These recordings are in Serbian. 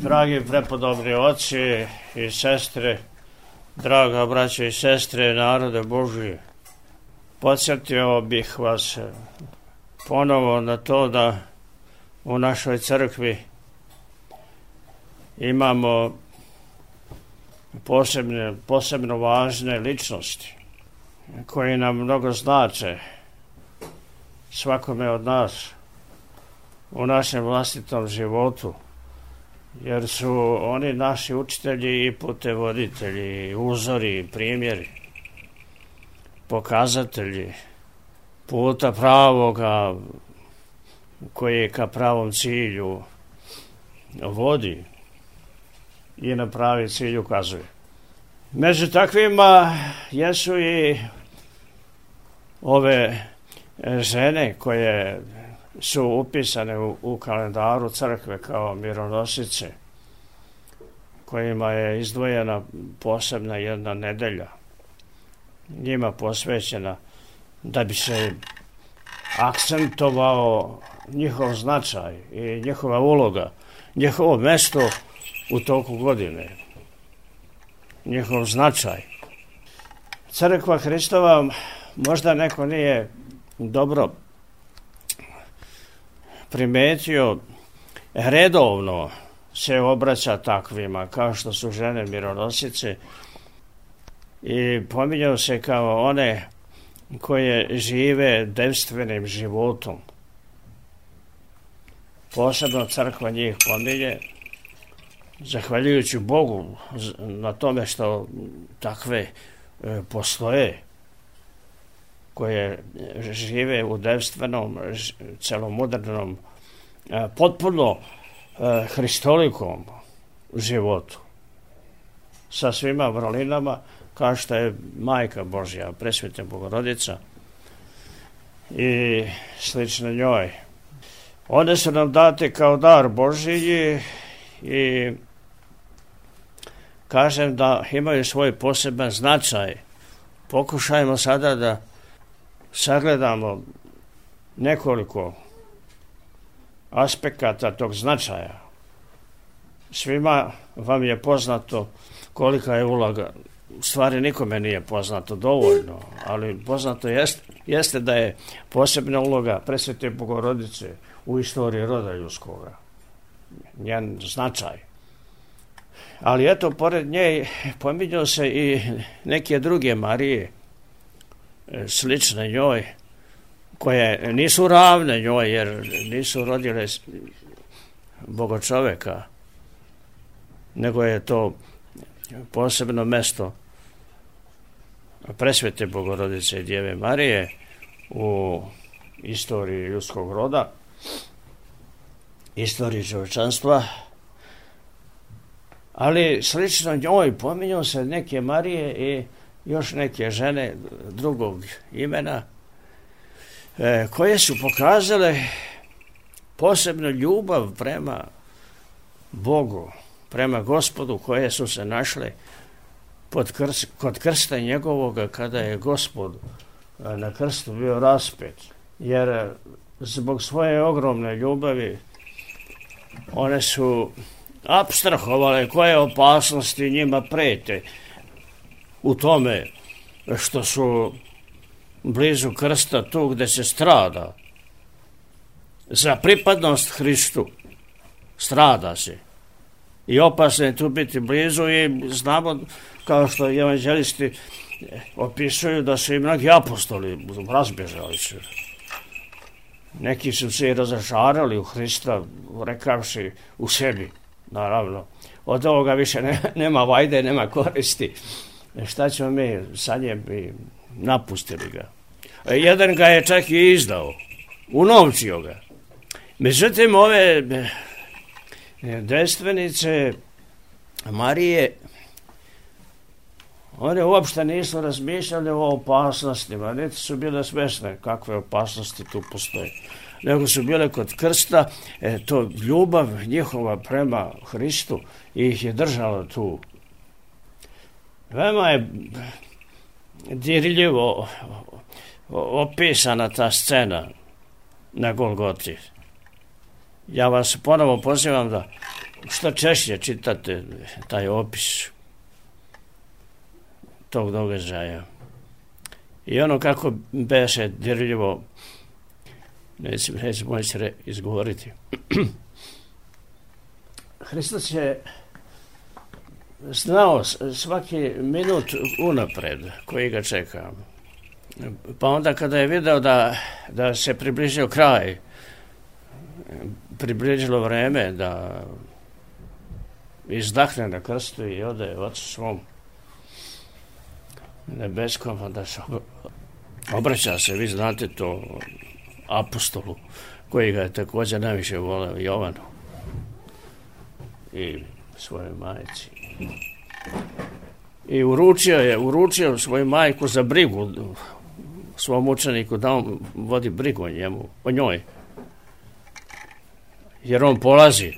Dragi prepodobni oci i sestre, draga braća i sestre, narode Božji, podsjetio bih vas ponovo na to da u našoj crkvi imamo posebno važne ličnosti koji nam mnogo znače svakome od nas u našem vlastitom životu, jer su oni naši učitelji i putevoditelji, uzori, primjeri, pokazatelji puta pravoga koji ka pravom cilju vodi i na pravi cilj ukazuje. Među takvima jesu i ove žene koje su upisane u kalendaru crkve kao mironosice, kojima je izdvojena posebna jedna nedelja, njima posvećena, da bi se akcentovao njihov značaj i njihova uloga, njihovo mesto u toku godine, njihov značaj. Crkva Hristova, možda neko nije dobro primetio, redovno se obraća takvima kao što su žene mironosice i pominjaju se kao one koje žive devstvenim životom. Posebno crkva njih pominje, zahvaljujući Bogu na tome što takve postoje, koje žive u devstvenom, celomodernom, potpuno hristolikom životu, sa svima vrlinama, kao što je Majka Božja, Presveta Bogorodica i slično njoj. One su nam date kao dar Božji i kažem da imaju svoj poseban značaj. Pokušajmo sada da sagledamo nekoliko aspekata tog značaja. Svima vam je poznato kolika je uloga, u stvari nikome nije poznato dovoljno, ali poznato jeste da je posebna uloga Presvete Bogorodice u istoriji roda ljudskoga, njen značaj. Ali eto, pored nje pominju se i neke druge Marije, slične njoj, koje nisu ravne njoj, jer nisu rodile Bogočoveka, nego je to posebno mesto Presvete Bogorodice i Djeve Marije u istoriji ljudskog roda, istoriji čovječanstva. Ali slično njoj pominju se neke Marije i još neke žene drugog imena, koje su pokazale posebnu ljubav prema Bogu, prema Gospodu, koje su se našle kod krsta njegovoga, kada je Gospod na krstu bio raspet. Jer zbog svoje ogromne ljubavi one su apstrahovale koje opasnosti njima prete u tome što su blizu krsta, tu gde se strada. Za pripadnost Hristu strada se. I opasno je tu biti blizu i znamo, kao što evanđelisti opisuju, da su i mnogi apostoli razbježali se. Neki su se i razočarali u Hrista, rekavši u sebi, naravno, od ovoga više nema vajde, nema koristi. Šta ćemo mi sa njim, i napustili ga. Jedan ga je čak i izdao, unovčio ga. Međutim, ove devstvenice Marije, one uopšte nisu razmišljali o opasnostima, niti su bile svesne kakve opasnosti tu postoje, nego su bile kod krsta, to ljubav njihova prema Hristu ih je držala tu. Veoma je dirljivo opisana ta scena na Golgoti. Ja vas ponovo pozivam da što češće čitate taj opis tog događaja. I ono kako beše dirljivo, neću moći izgovoriti. Hristos je znao svaki minut unapred koji ga čeka. Pa onda kada je video da se približio kraj, približilo vreme da izdahne na krstu i ode Ocu svom nebeskom, onda se obraća se, vi znate to, apostolu, koji ga je također najviše voleo, Jovanu i svojoj majci. I uručio svoju majku za brigu svom učeniku, da on vodi brigu o njoj. Jer on polazi.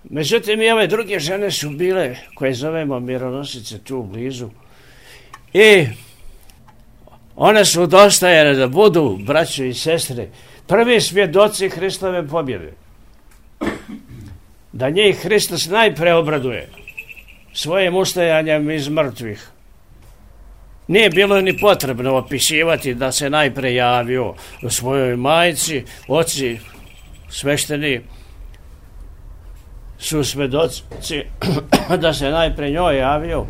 Međutim, i ove druge žene su bile, koje zovemo mironosice, tu blizu. I one su dostajene da budu, braćo i sestre, prvi svjedoci Hristove pobjede. Da njih Hristos najpre obraduje svojim ustajanjem iz mrtvih. Nije bilo ni potrebno opisivati da se najpre javio u svojoj majci, oci svešteni su svedoci da se najpre njoj javio.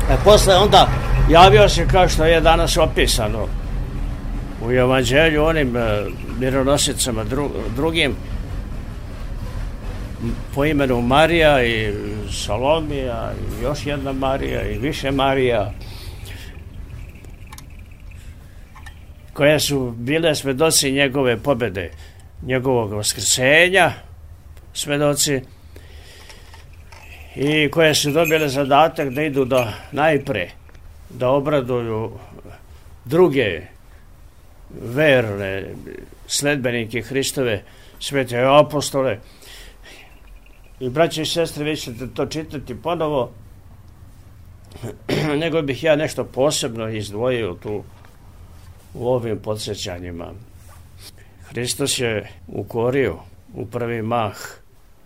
A posle onda javio se kao što je danas opisano u evanđelju onim mironosicama drugim po imenu Marija i Salomija i još jedna Marija i više Marija, koje su bile svedoci njegove pobjede, njegovog vaskrsenja, svedoci, i koje su dobile zadatak da idu najpre da obraduju druge verne sledbenike Hristove, svete apostole. I braće i sestre, vi ćete to čitati ponovo, nego bih ja nešto posebno izdvojio tu u ovim podsjećanjima. Hristos je ukorio u prvi mah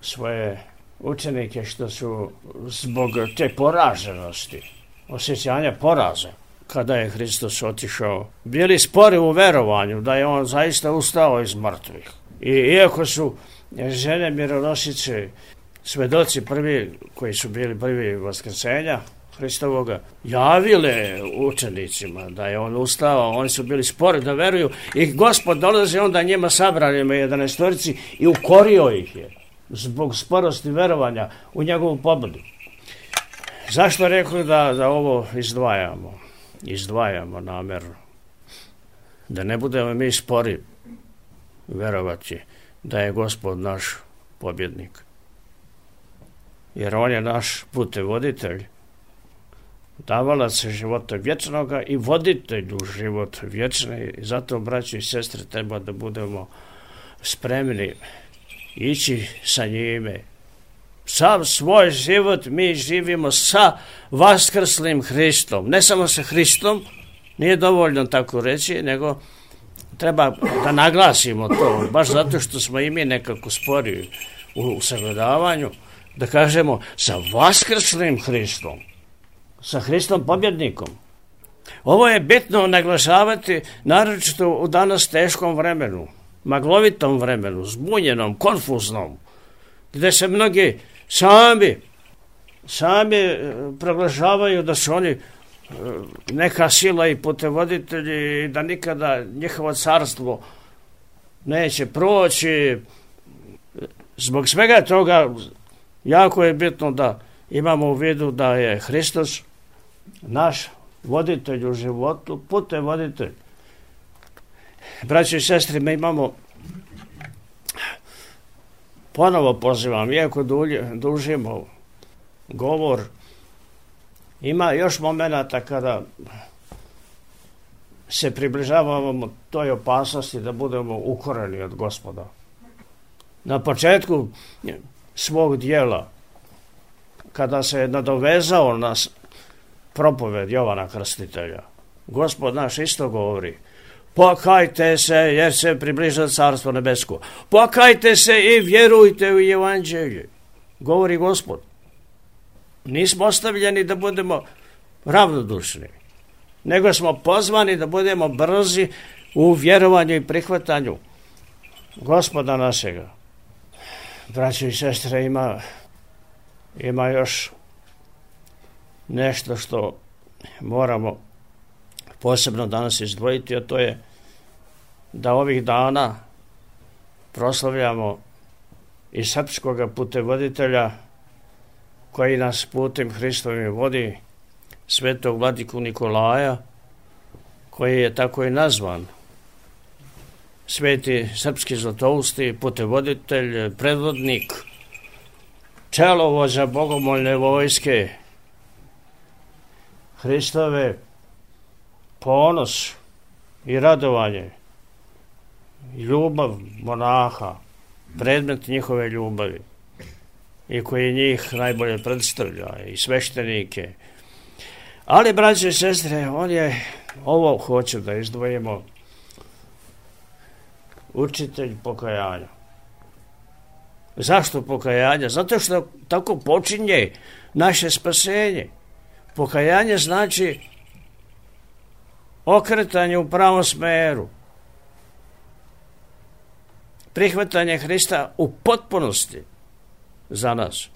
svoje učenike što su zbog te poraženosti, osjećanja poraza, kada je Hristos otišao, bili spori u verovanju da je on zaista ustao iz mrtvih. I iako su žene mironosice, svedoci prvi, koji su bili prvi vaskrsenja Hristovoga, javile učenicima da je on ustao, oni su bili spori da veruju i Gospod dolazi onda njima sabranima 11 i ukorio ih je zbog sporosti verovanja u njegovu pobjedu. Zašto rekli da ovo izdvajamo? Izdvajamo namjerno. Da ne budemo mi spori verovati da je Gospod naš pobjednik. Jer on je naš putevoditelj, davalac života vječnoga i voditelj u život vječni. I zato, braći i sestre, treba da budemo spremni ići sa njime. Sav svoj život mi živimo sa vaskrslim Hristom. Ne samo sa Hristom, nije dovoljno tako reći, nego treba da naglasimo to, baš zato što smo i mi nekako spori u sagledavanju, da kažemo sa vaskrslim Hristom, sa Hristom pobjednikom. Ovo je bitno naglašavati, naročito u danas teškom vremenu, maglovitom vremenu, zbunjenom, konfuznom, gdje se mnogi sami proglašavaju da su oni neka sila i putevoditelji i da nikada njihovo carstvo neće proći. Zbog svega toga jako je bitno da imamo u vidu da je Hristos naš voditelj u životu, putevoditelj. Braći i sestri, mi imamo, ponovo pozivam, iako dužimo govor, ima još momenata kada se približavamo toj opasnosti da budemo ukoreni od Gospoda. Na početku svog dijela, kada se je nadovezao na propoved Jovana Krstitelja, Gospod naš isto govori: Pokajte se jer se približa carstvo nebesko. Pokajte se i vjerujte u evanđelje. Govori Gospod. Nismo ostavljeni da budemo ravnodušni, nego smo pozvani da budemo brzi u vjerovanju i prihvatanju Gospoda našega. Braćo i sestre, ima još nešto što moramo posebno danas izdvojiti, a to je da ovih dana proslavljamo i srpskog putevoditelja koji nas putem Hristovim vodi, svetog vladiku Nikolaja, koji je tako i nazvan. Sveti srpski zlatousti, putevoditelj, predvodnik, čelovođa bogomoljne vojske Hristove, ponos i radovanje, ljubav monaha, predmet njihove ljubavi i koji njih najbolje predstavlja i sveštenike. Ali, braće i sestre, ovo hoću da izdvojimo, učitelj pokajanja. Zašto pokajanja? Zato što tako počinje naše spasenje. Pokajanje znači okretanje u pravom smeru. Prihvatanje Hrista u potpunosti za nas.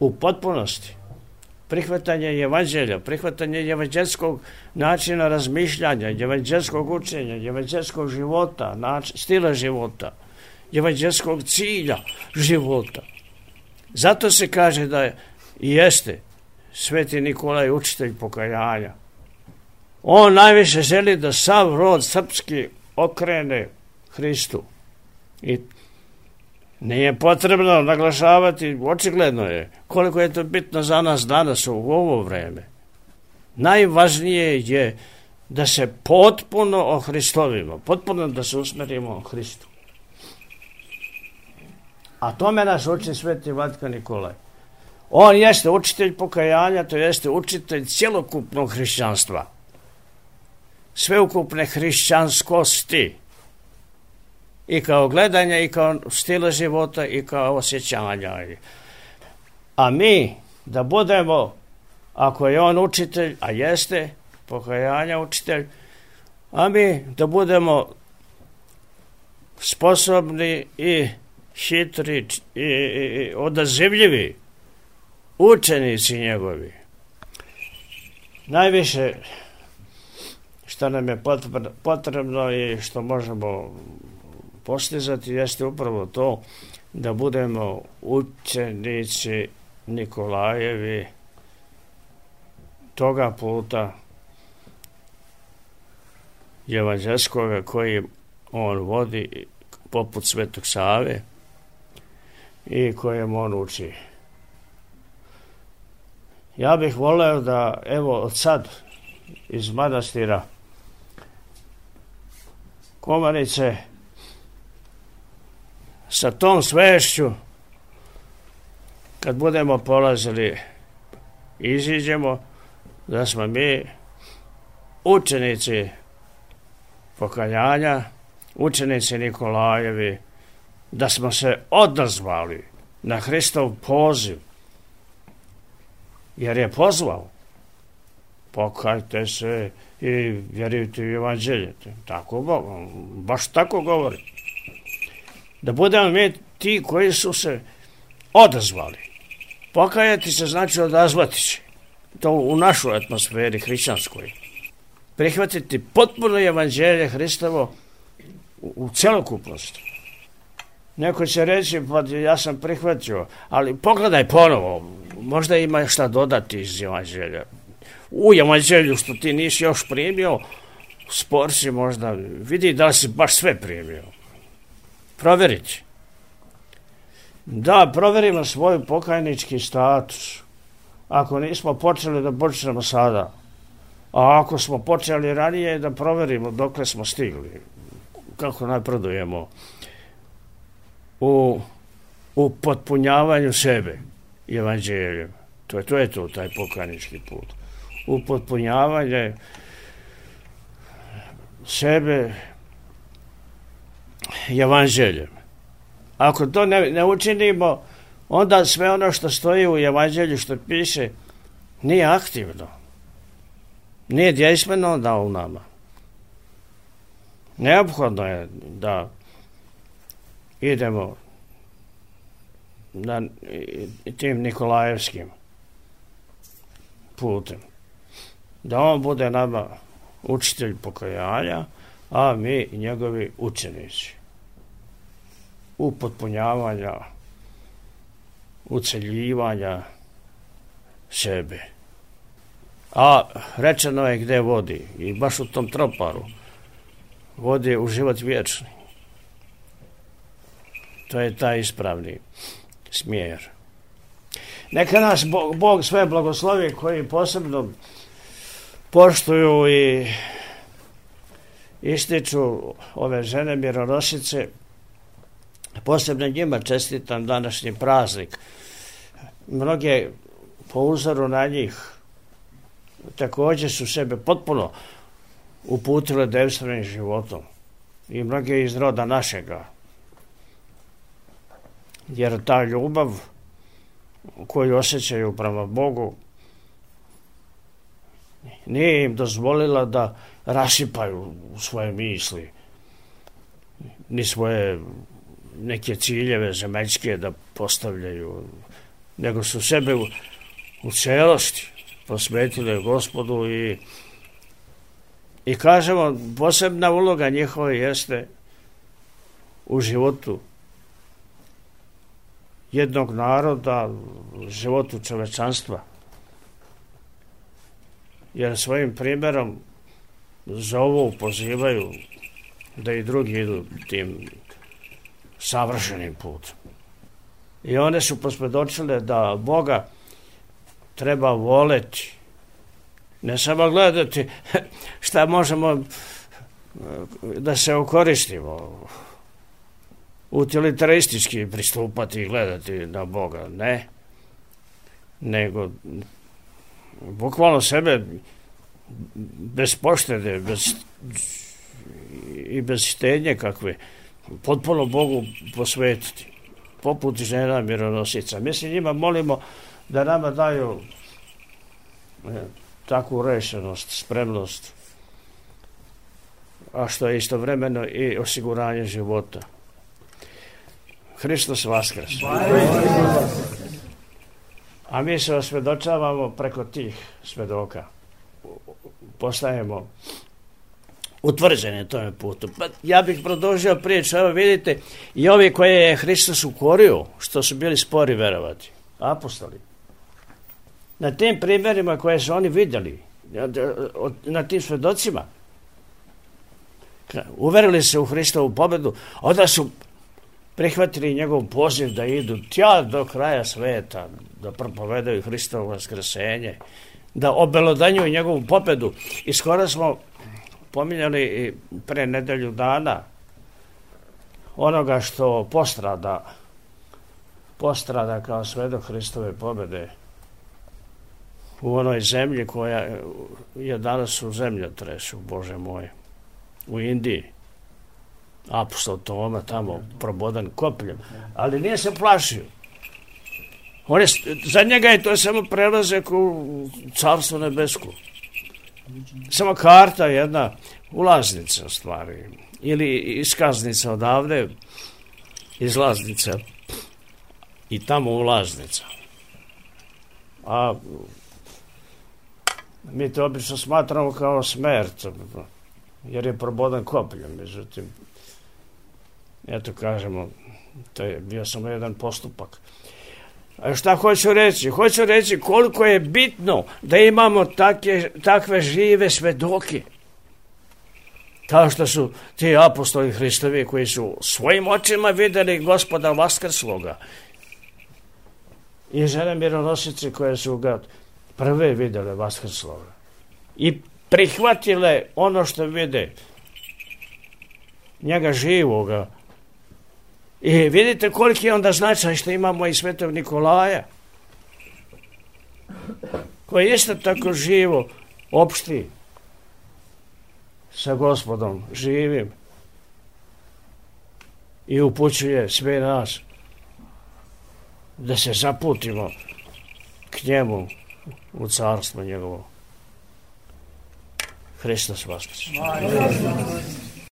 U potpunosti. Prihvatanje evanđelja, prihvatanje evanđelskog načina razmišljanja, evanđelskog učenja, evanđelskog života, stila života, evanđelskog cilja života. Zato se kaže da jeste Sveti Nikolaj učitelj pokajanja. On najviše želi da sav rod srpski okrene Hristu. I nije potrebno naglašavati, očigledno je koliko je to bitno za nas danas u ovo vreme. Najvažnije je da se potpuno ohristovimo, potpuno da se usmerimo Hristu. A tome nas uči Sveti Vladika Nikolaj. On jeste učitelj pokajanja, to jeste učitelj cjelokupnog hrišćanstva, sveukupne hrišćanskosti, i kao gledanja, i kao stila života, i kao osjećanja. A mi da budemo, ako je on učitelj, a jeste pokajanja učitelj, a mi da budemo sposobni i hitri i odazivljivi učenici njegovi. Najviše što nam je potrebno i što možemo postizati jeste upravo to da budemo učenici Nikolajevi toga puta evanđelskoga koji on vodi poput Svetog Save i kojem on uči. Ja bih voleo da, evo, od sad iz manastira Komarice sa tom svešću, kad budemo polazili, iziđemo da smo mi učenici pokajanja, učenici Nikolajevi, da smo se odazvali na Hristov poziv, jer je pozvao. Pokajte se i vjerujte u evanđelje. Tako, baš tako govori. Da budemo mi ti koji su se odazvali. Pokajati se znači odazvati se. To u našoj atmosferi hrišćanskoj. Prihvatiti potpuno evanđelje Hristovo u celokupnosti. Neko će reći, pa ja sam prihvatio, ali pogledaj ponovo, možda ima šta dodati iz evanđelja. U evanđelju što ti nisi još primio, spor si možda, vidi da li si baš sve primio. Provjeriti. Da, provjerimo svoj pokajnički status. Ako nismo počeli, da počnemo sada. A ako smo počeli ranije, da provjerimo dokle smo stigli. Kako napredujemo u potpunjavanju sebe evanđeljem. To je taj pokajnički put. U potpunjavanje sebe evanđeljem. Ako to ne učinimo, onda sve ono što stoji u evanđelju, što piše, nije aktivno. Nije djejstveno onda u nama. Neophodno je da idemo tim Nikolajevskim putem. Da on bude nama učitelj pokajanja, a mi njegovi učenici. Upotpunjavanja, uceljivanja sebe. A rečeno je gde vodi, i baš u tom troparu vodi u život vječni. To je taj ispravni smjer. Neka nas Bog sve blagoslovi koji posebno poštuju i ističu ove žene mironosice. Posebno njima čestitam današnji praznik. Mnoge po uzoru na njih također su sebe potpuno uputile devstvenim životom. I mnoge iz roda našega. Jer ta ljubav koju osjećaju prema Bogu nije im dozvolila da rasipaju svoje misli, ni svoje neke ciljeve zemaljske da postavljaju, nego su sebe u celosti posvetile Gospodu i kažemo, posebna uloga njihova jeste u životu jednog naroda, životu čovečanstva. Jer svojim primjerom zovu, pozivaju da i drugi idu tim savršenim putem. I one su posvjedočile da Boga treba voleti, ne samo gledati šta možemo da se okoristimo, utilitaristički pristupati i gledati na Boga, ne, nego bukvalno sebe bez poštede, bez štednje kakve, potpuno Bogu posvetiti, poput žena mironosica. Mi se njima molimo da nama daju takvu rešenost, spremnost, a što je istovremeno i osiguranje života. Hristos Vaskrs. A mi se osvjedočavamo preko tih svjedoka. Postajemo utvrđeni tome putu. Pa ja bih produžio priču. Evo vidite, i ovi koje je Hristos ukorio, što su bili spori verovati, apostoli. Na tim primjerima koje su oni vidjeli, na tim svjedocima, uverili se u Hristovu pobjedu, onda su prihvatili njegov poziv da idu tja do kraja sveta, da propovedaju Hristovo vaskrsenje, da obelodanjuju njegovu pobjedu. I skoro smo pominjali pre nedelju dana onoga što postrada kao svedok Hristove pobjede u onoj zemlji koja je danas u zemljotresu, Bože moj, u Indiji. Apostol Toma tamo probodan kopljem, ali nije se plašio. Za njega je to samo prelazak u carstvo nebesko. Samo karta, jedna ulaznica stvari. Ili iskaznica odavde, izlaznica i tamo ulaznica. A mi to obično smatramo kao smrt, jer je probodan kopljem. Međutim, eto kažemo, to je bio samo jedan postupak. A šta hoću reći? Hoću reći koliko je bitno da imamo takve žive svedoke. Kao što su ti apostoli Hristovi koji su svojim očima vidjeli Gospoda vaskrsloga. I žene mironosice koje su ga prve vidjele vaskrsloga. I prihvatile ono što vide njega živoga. I vidite koliki je onda značaj što imamo i svetog Nikolaja, koji isto tako živo opšti sa Gospodom živim i upućuje sve nas da se zaputimo k njemu u carstvo njegovo. Hristos Voskrs.